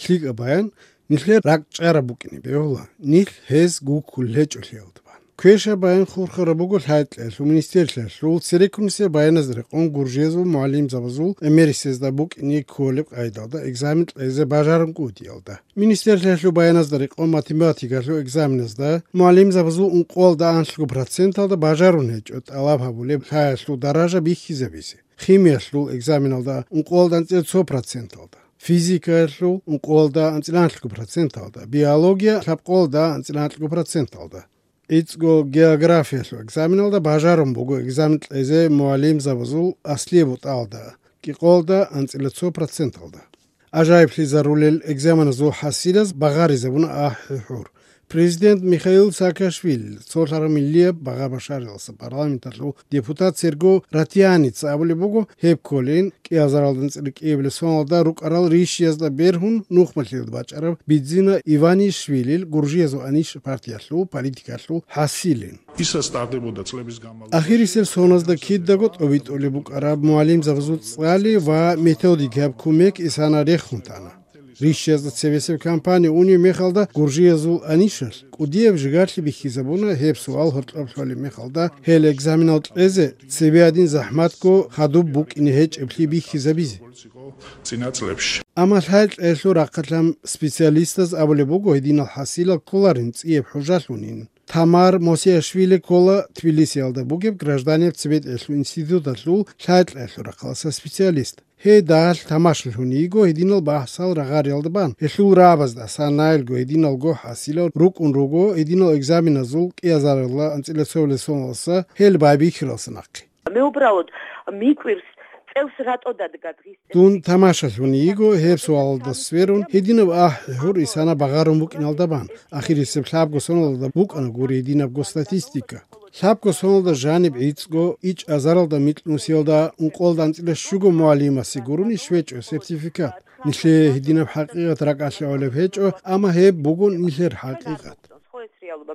ხლიკა ბაიან ნიხლე რაკჭარა ბუკინი ბეოლა ნიხ ჰეს გუკულე ჭოლიალდბან ქვეშა ბაიან ხურხარა ბუგო ჰაიტლეს მინისტერლეს რულ სერეკუნსე ბაიანაზრე ყონ გურჟეზულ მუალიმ ზაბაზულ ემერისეს და ბუკინი ქოლებ ყაიდალდა ეგზამენ ეზე ბაჟარუნ კუდიალდა მინისტერლეს ბაიანაზრე ყონ მათემატიკაში ეგზამინეს და მუალიმ ზაბაზულ უნყოლდა ანშლუ პროცენტალდა ბაჟარუნ ეჭოთ ალაფაბულე ხააშლუ დარაჟა ბიხიზებისი ხიმიაშლუ ეგზამინალდა უნყოლდან 100%-ალდა ფიზიკაშლუ უნყოლდა 100%-ალდა ბიოლოგია ხაპყოლდა 100%-ალდა იცგო გეოგრაფიაში ეგზამინალდა ბაჟარომ ბუგო ეგზამენ ეზე მუალიმ ზაბაზულ ასლიებუტალდა კიყოლდა 100%-ალდა აჟაიფლი ზარულელ ეგზამენაზო ჰასილას ბაღარიზებუნა აჰურ Президент Михаил Саакашвили, Солармилия Багабашарилса, парламентарлу депутат Серго Ратьяниц, Абулибугу, Хепколин, Киазаралден Циркевли, Соналда, Рукарал Ришьязда Берхун, Нухматлил Бачаров, Бидзина Иванишвили, Гуржезу Аниш партияшлу, политикашлу, Хасилин. Ахирисел Соназда Киддагот, Овитолибук Араб Муалим Завзут Цали, Ва методик Кумек Исана Рехунтана. Ришьязда цевесев компания Уни Мехалда Гуржезу Анишас. Кудиев жигатли бихизабуна хепсу алхортапшвали Мехалда хел экзаменалт эзе цевиадин захматко хаду бук инхеч эпли бихизабизи. Амалхайт элу рақатлам специалистас абулебуго единал хасила коларин циев хужалунин. Тамар Мосиашвили кола Тбилиси алда бугеб гражданин цвет элу институт атлу шайт элу рақалса специалист. Хей дал тамашлхуниго единал бахсал рагариалдбан. Элу рабазда санайлго единал го хасила рук унруго единал экзаменазул киазарла антилесовлесонлса хел байбихралснаყი. მე უბრალოდ მიკვირს წელს რატო დადგა დღის Тун тамашалхуниго ჰერსვალდა სვერუნ единав აჰურ ისანა ბაღარომ ბუკინალდაბან. ახირისებ ხაბგოსონალდა ბუკანა გური единав სტატისტიკა. Хабгосонда жаниб ицго ич азаралда митлнусиалда унқолдан циле шуго муалима сигуруни швечо сертификат. Нишле хидинаб хақиқат ракашаолებ хечо ама хеб бугун нишлер хақиқат.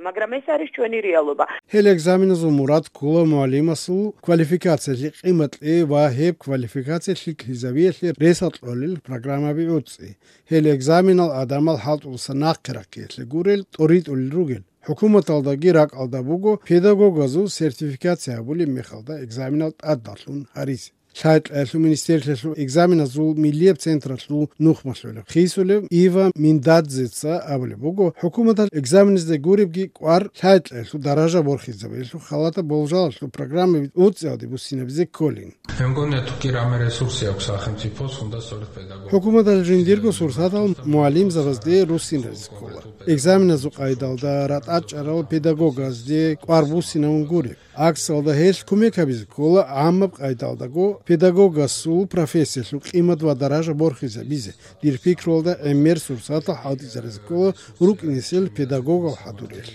მაგრამ ეს არის ჩვენი რეალობა. Хел экзаменазу мурат кула муалимасу квалификация ყიმატლი ვა ჰებ квалификация ხიზავიელი რესატოლილ პროგრამები უწი. Хел экзаменალ ადამალ ჰალტულსა ნაყრაკიელი გურელ ტორიტული რუგელ. Hukumat aldagi rak alda bugo pedagogazu sertifikasya buli mekhalda egzaminal addalun haris. Şayet elsu ministerlesu egzaminazu milliyet centraslu nuhmasöyle. Xisule Iva Mindadzitsa abuli bugo hukumat egzaminizde guribgi qvar şayet elsu daraja borxizebe elsu xalata boljalaslu programmi utsadi bu sinebze kolin. მეგონია თუ კი რამე რესურსი აქვს სახელმწიფოს, უნდა სწორედ პედაგოგი. Hukumat al-Jindirgo sursatal mualim zavazde rusin skola. Egzaminazu qaydalda rat acharal pedagogazde qarbusina unguri. Aksalda hel kumekabiz kola amab qaydalda go pedagogasu professiyasu qimat va daraja borxiza bize. Dir fikrolda emer sursata hadizariz kola ruknisel pedagog hadurel.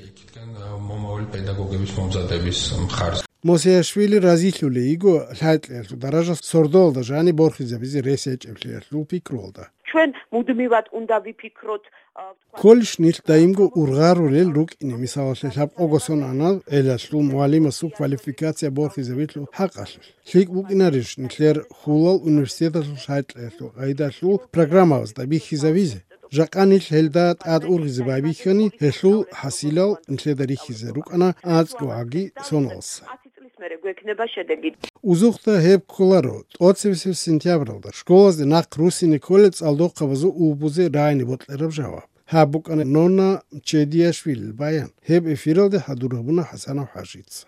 მომავალი პედაგოგების მომზადების მხარს. Mosiashvili razilule igo haitlelsu daraja sordolda jani borxizebizi research-ებლიალუ ფიქროლდა. ჩვენ მუდმივად უნდა ვიფიქროთ Kolshnil daimgo urgarulel rukini misalse hab ogosonana elaslu mualimasu kvalifikatsiya borxizebitlu haqaslu. Hlik bukinarish nikler Hulal universitetasu haitlelsu qaidaslu programavazda bixizavize. Жаканил хелдат ад ургизбаби хани хелу хасилал нледариХизе рукана ацгоаги сонолс. Узухта хеб коларо 20 сентябралда школазде нақ русини колец алдоқавазу убузе райни ботлераб жаваб. Хабукана нона Чедияшвили баян. Хеб эфиралде хадурабуна Хасанов Хажица.